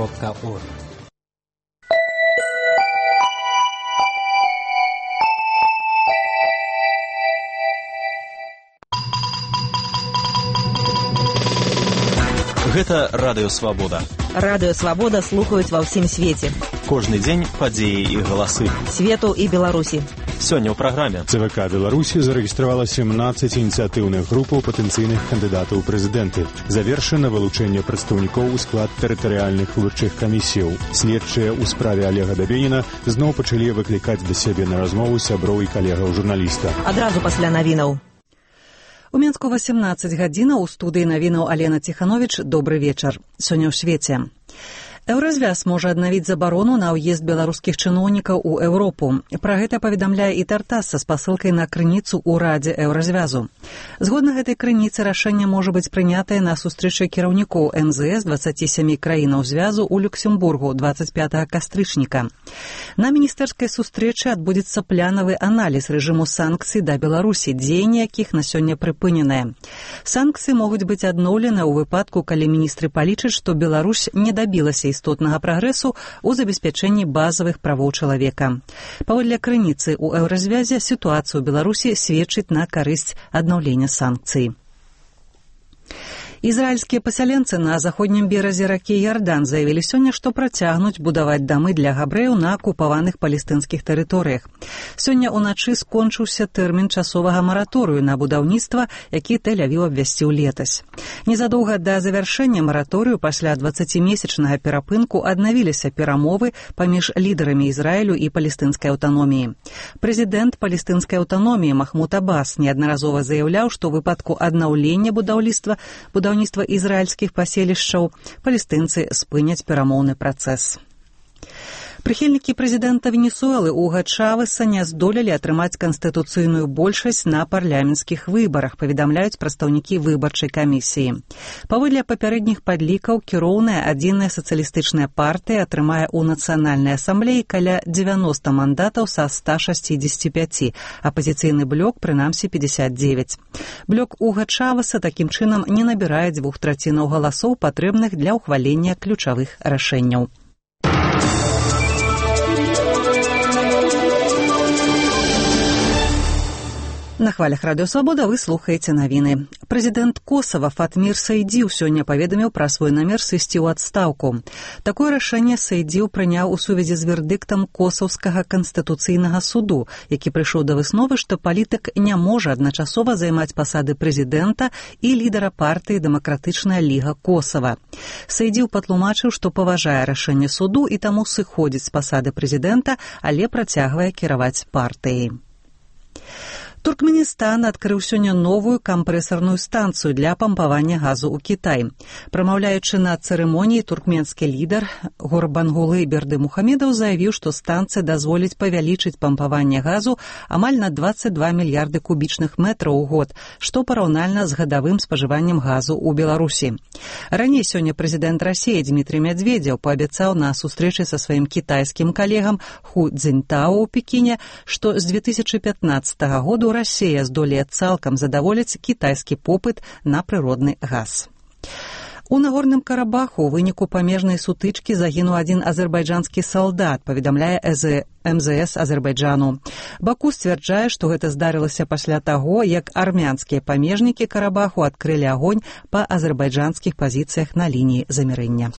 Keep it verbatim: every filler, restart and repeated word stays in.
кропка орг. Гэта Радыё Свабода. Радыё Свабода слухаюць ва ўсім свеце. Кожны дзень падзеі і галасы. Свету і Беларусі. Сёння ў праграме. ЦВК Беларусі зарэгістравала сямнаццаць ініцыятыўных групаў патэнцыйных кандыдатаў у прэзідэнты. Завершана вылучэнне прадстаўнікоў у склад тэрытарыяльных выбарчых камісіяў. Следчыя ў справе Олега Дабеніна зноў пачалі выклікаць да сябе на размову сяброў і калегаў журналіста. Адразу пасля навінаў. У Мінску васемнаццаць гадзінаў у студыі навінаў Алена Ціхановіч. Добры вечар. Сёння ў свеце. Еўразвяз можа аднавіць забарону на ўезд беларускіх чыноўнікаў у Еўропу. Пра гэта паведамляе і Тартас са спасылкай на крыніцу ў Радзе Еўразвязу. Згодна гэтай крыніцы рашэнне можа быць прынятае на сустрэчы кіраўнікоў эм зэ эс дваццаці сямі краінаў звязу ў Люксембургу дваццаць пятага кастрычніка. На міністэрскай сустрэчы адбудзецца планавы аналіз рэжыму санкцый да Беларусі, дзеянні якіх на сёння прыпыненыя. Санкцыі могуць быць адноўлены ў выпадку, калі міністры палічаць, што Беларусь не дабілася істотнага прагрэсу ў забеспячэнні базавых правоў чалавека. Паводле крыніцы ў Еўразвязе сітуацыя ў Беларусі сведчыць на карысць аднаўлення санкцый. Ізраільскія пасяленцы на заходнім беразе ракі Ярдан заявілі сёння, што працягнуць будаваць дамы для габрэяў на акупаваных палестынскіх тэрыторыях. Сёння ўначы скончыўся тэрмін часовага мараторыю на будаўніцтва, які Тель-Авіў абвясціў летась. Незадоўга да завяршэння мараторыю пасля дваццацімесячнага перапынку аднавіліся перамовы паміж лідарамі Ізраілю і палестынскай аўтаноміі. Прэзідэнт палестынскай аўтаноміі Махмуд Аббас неаднаразова заяўляў, што ў выпадку аднаўлення будаўніцтва будаўніцтва ізраільскіх паселішчаў палестынцы спыняць перамоўны працэс. Прыхільнікі прэзідэнта Венесуэлы Уга Чавеса не здолелі атрымаць канстытуцыйную большасць на парламенцкіх выбарах, паведамляюць прадстаўнікі выбарчай камісіі. Паводле папярэдніх падлікаў, кіроўная адзіная сацыялістычная партыя атрымае ў нацыянальнай асамблеі каля дзевяноста мандатаў са ста шасцідзесяці пяці, апазіцыйны блок прынамсі пятьдесят девять. Блок Уга Чавеса такім чынам не набірае дзвюх трацінаў галасоў, патрэбных для ўхвалення ключавых рашэнняў. На хвалях Радыё Свабода вы слухаеце навіны. Прэзідэнт Косава Фатмір Сайдзіў сёння паведаміў пра свой намер сысці ў адстаўку. Такое рашэнне Сайдзіў прыняў у сувязі з вердыктам Косаўскага канстытуцыйнага суду, які прыйшоў да высновы, што палітык не можа адначасова займаць пасады прэзідэнта і лідара партыі Дэмакратычная ліга Косава. Сайдзіў патлумачыў, што паважае рашэнне суду і таму сыходзіць з пасады прэзідэнта, але працягвае кіраваць партыяй. Туркменістан адкрыў сёння новую кампрэсарную станцыю для пампавання газу ў Кітай. Прамаўляючы на цырымоніі, туркменскі лідар Гурбангулы Бердымухамедаў заявіў, што станцыя дазволіць павялічыць пампаванне газу амаль на дваццаць два мільярды кубічных метраў у год, што параўнальна з гадавым спажываннем газу ў Беларусі. Раней сёння прэзідэнт Расіі Дмітрый Мядзведзеў паабяцаў на сустрэчы са сваім кітайскім калегам Ху Цзіньтао ў Пекіне, што з две тысячы пятнаццатага году Расія здолее цалкам задаволіць кітайскі попыт на прыродны газ. У Нагорным Карабаху ў выніку памежнай сутычкі загінуў адзін азербайджанскі салдат, паведамляе эм зэ эс Азербайджану. Баку сцвярджае, што гэта здарылася пасля таго, як армянскія памежнікі Карабаху адкрылі агонь па азербайджанскіх пазіцыях на лініі замірэння.